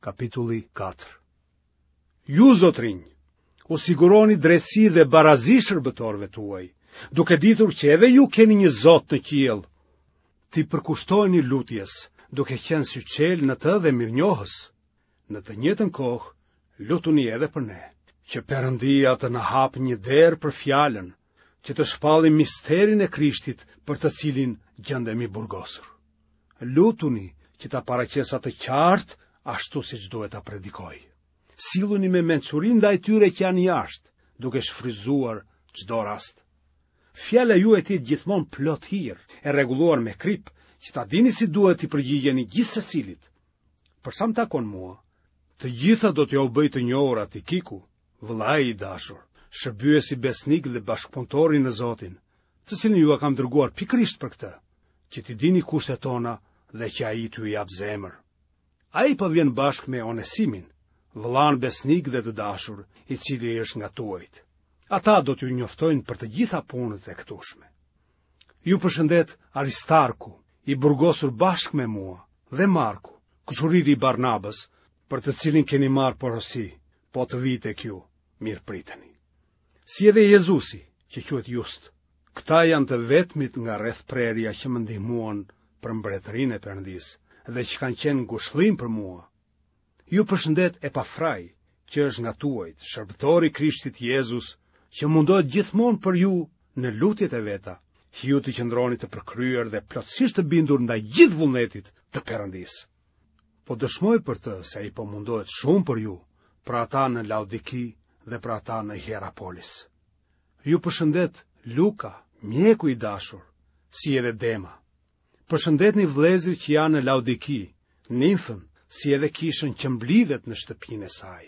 Kapitulli 4. Ju, zotrinj, u siguroni drejtësi dhe barazi shërbëtorëve tuaj, duke ditur që edhe ju keni një Zot në qiell. Ti përkushtojeni lutjes, duke qenë syçel në të dhe mirënjohës. Në të njëjtën kohë, lutuni edhe për ne, që Perëndia të na hapë një derë për fjalën, që të shpallim misterin e Krishtit për të cilin gjendemi burgosur. Lutuni që ta paraqesat të qartë ashtu siç duhet ta predikoj. Silluni me mençuri ndaj tyre që janë jashtë, duke shfrytzuar çdo rast. Fjala juaj të jetë gjithmonë plot hir, e rregulluar me krip, që ta dini si duhet i përgjigjeni gjithë secilit. Për sa më takon mua, të gjitha do t'ja u bëj të njohur Tikiku, vëllai i dashur, shërbyesi besnik dhe bashkëpunëtori në Zotin, të cilin ju kam dërguar pikërisht për këtë, që t'i dini kushtet tona dhe që ai t'ju jap zemër. Ai po vjen bashkë me Onesimin, vëllan besnik dhe të dashur, i cili është nga tuajt. Ata do t'ju njoftojnë për të gjitha punët e këtushme. Ju përshëndet Aristarku, i burgosur bashkë me mua, dhe Marku, kushuriri i Barnabës, për të cilin keni marrë porosi, po të vi tek ju, mirë priteni. Si edhe Jezusi, që quhet Just, këta janë të vetmit nga rreth prerja që më ndihmuan për mbretërinë e Perëndisë dhe që kanë qenë ngushëllim për mua. Ju përshëndet Epafrai, që është nga tuajt, shërbëtori i Krishtit Jezus, që mundohet gjithmonë për ju në lutjet e veta, që ju të qëndroni të përkryer dhe plotësisht të bindur ndaj gjithë vullnetit të Perëndisë. Po dëshmoj për të se ai po mundohet shumë për ju, për ata në Laodiki dhe për ata në Hierapolis. Ju përshëndet Luka, mjeku i dashur, si edhe Dema. Përshëndetni vëllezërit që janë në Laodiki, Nimfën, si edhe kishën që mblidhet në shtëpinë e saj.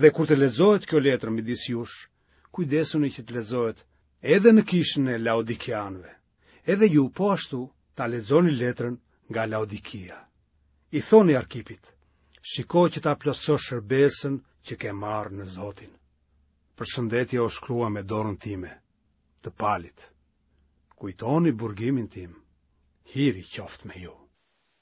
Dhe kur të lexohet kjo letër midis jush, kujdesuni që të lexohet edhe në kishën e Laodikianëve. Edhe ju po ashtu ta lexoni letrën nga Laodikia. I thoni Arkipit, shiko që ta plotësosh shërbesën që ke marrë në Zotin. Përshëndetje o shkrua me dorën time, të palit. Kujtoni burgimin tim, hiri qoftë me ju.